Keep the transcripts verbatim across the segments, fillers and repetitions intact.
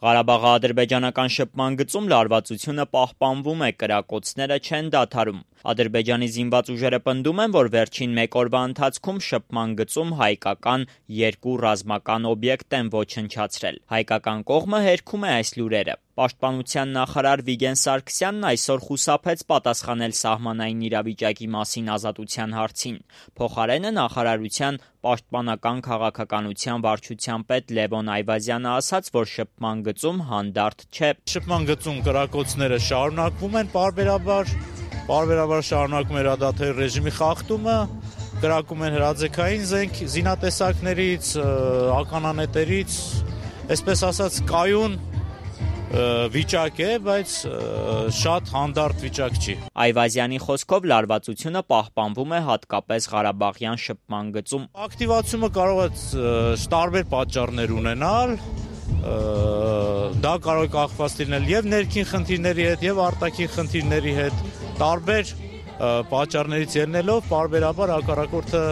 Ղարաբաղի ադրբեջանական շփման գծում լարվածությունը պահպանվում է, կրակոցները չեն դադարում։ Ադրբեջանի զինված ուժերը պնդում են, որ վերջին մեկ օրվա ընթացքում շփման գծում հայկական երկու ռազմական օբյեկտ են ոչնչացրել։ Հայկական կողմը հերքում է այս լուրերը։ Պաշտպանության նախարար Վիգեն Սարգսյանն այսօր խուսափեց պատասխանել սահմանային իրավիճակի մասին Ազատության հարցին։ Փոխարենը նախարարության պաշտպանական քաղաքականության վարչության պետ Լևոն Այվազյանը ասաց, որ շփման գծում հանդարտ չէ։ Շփման գծում կրակոցները շարունակվում են պարբերաբար, պարբերաբար շարունակում է հրադադարի ռեժիմի խախտումը, կրակում են հրաձգային զենք զինատեսակներից, ականանետերից, այսպես ասած կայուն վիճակ է, բայց շատ հանդարտ վիճակ չի։ Այվազյանի խոսքով լարվածությունը պահպանվում է հատկապես Ղարաբաղյան շփման գծում։ Ակտիվացումը կարող է տարբեր պատճառներ ունենալ, դա կարող է կախված լինել եւ ներքին խնդիրների հետ, եւ արտաքին խնդիրների հետ, տարբեր պատճառներից ելնելով պարբերաբար հակառակորդը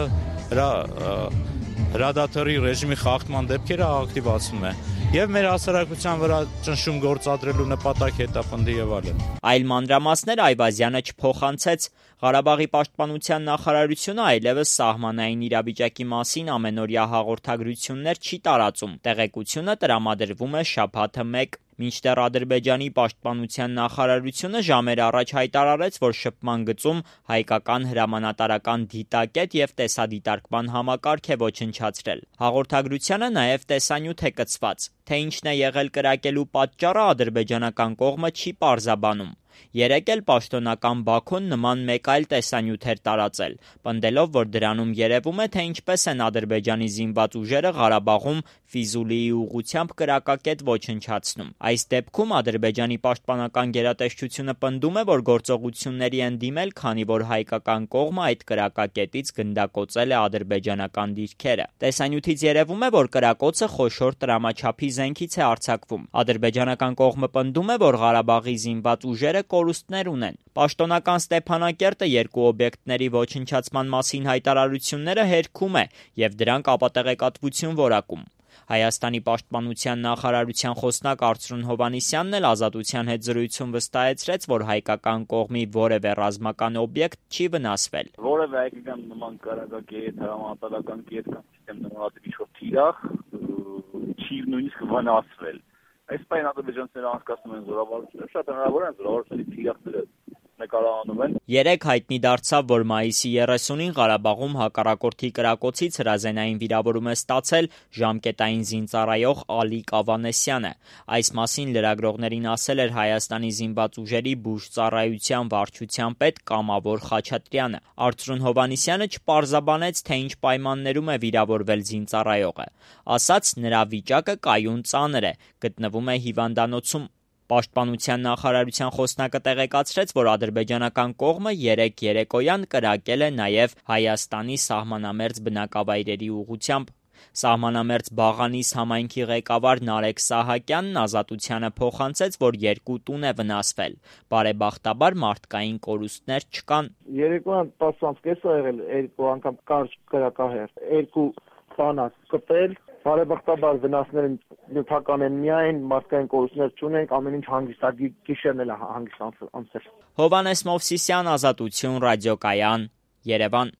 հրադադարի ռեժիմի խախտման դեպքերը ակտիվացնում է եւ մեր հասարակության վրա ճնշում գործադրելու նպատակ հետապնդի եւ այլն։ Այլ մանրամասներ Այվազյանը չփոխանցեց։ Ղարաբաղի պաշտպանության նախարարությունը այլևս սահմանային իրավիճակի մասին ամենօրյա հաղորդագրություններ չի տարածում։ Տեղեկությունը տրամադրվում է շաբաթը մեկ։ Մինչդեռ Ադրբեջանի պաշտպանության նախարարությունը ժամեր առաջ հայտարարեց, որ շփման գծում հայկական հրամանատարական դիտակետ եւ տեսադիտարկման համակարգ է ոչնչացրել։ Հաղորդագրությանը նաեւ տեսանյութ է կցված։ Թե ինչն է եղել կրակելու պատճառը ադրբեջանական կողմը չի պարզաբանում։ Երեկ էլ պաշտոնական Բաքուն նման մեկ այլ տեսանյութ էր տարածել, պնդելով, որ դրանում երևում է, թե ինչպես են Ադրբեջանի զինված ուժերը Ղարաբաղում Ֆիզուլիի ուղղությամբ կրակակետ ոչնչացնում։ Այս դեպքում Ադրբեջանի պաշտպանական գերատեսչությունը պնդում է, որ գործողությունների են դիմել, քանի որ հայկական կողմը այդ կրակակետից գնդակոծել է ադրբեջանական դիրքերը։ Տեսանյութից երևում է, որ կրակոցը խոշոր տրամաչափի զենքից է արձակվում։ Ադրբեջանական կողմը պնդում է, որ Ղարաբաղի զինված ուժերը կորուստներ ունեն։ Պաշտոնական Ստեփանակերտը երկու օբյեկտների ոչնչացման մասին հայտարարությունները հերքում է եւ դրանք ապատեղեկատվություն որակում։ Հայաստանի պաշտպանության նախարարության խոսնակ Արծրուն Հովհաննիսյանն էլ Ազատության հետ զրույցում վստահեցրեց, որ հայկական կողմի որևէ ռազմական օբյեկտ չի վնասվել։ Որևէ հայկական նման կրակակետ, հրամանատարական կետ կամ սիստեմ նմանատիպ ինչ-որ թիրախ չի նույնիսկ վնասվել։ Այս պայն ադրբեջանցիները անցկացնում են զորավարություններ, շատ հնարավոր է զորավարությունների թիրախները նկարահանում են։ Երեկ հայտնի դարձավ, որ մայիսի երեսունին Ղարաբաղում հակառակորդի կրակոցից հրազենային վիրավորում է ստացել ժամկետային զինծառայող Ալիկ Ավանեսյանը։ Այս մասին լրագրողներին ասել էր Հայաստանի զինված ուժերի բուժծառայության վարչության պետ Կամավոր Խաչատրյանը։ Արծրուն Հովհաննիսյանը չպարզաբանեց, թե ինչ պայմաններում է վիրավորվել զինծառայողը։ Ասաց, նրա վիճակը կայուն ծանր է, գտնվում է հիվանդանոցում։ Պաշտպանության նախարարության խոսնակը տեղեկացրեց, որ ադրբեջանական կողմը երեկ երեկոյան կրակել է նաև Հայաստանի սահմանամերձ բնակավայրերի ուղղությամբ։ Սահմանամերձ Բաղանիս համայնքի ղեկավար Նարեկ Սահակյանն Ազատությանը փոխանցեց, որ երկու տուն է վնասվել։ Բարեբախտաբար մարդկային կորուստներ չկան։ Երեկոյան տասը անց կես է եղել, երկու անգամ կարճ կրակահեր, երկու բանակ կպել։ Բարեբախտաբար վնասները նյութական են միայն, մարդկային կորուստներ չունենք, ամեն ինչ հանգստակի գիշերն էլ հանգիստ անցել։ Հովհաննես Մովսիսյան, Ազատություն, ռադիոկայան, Երևան։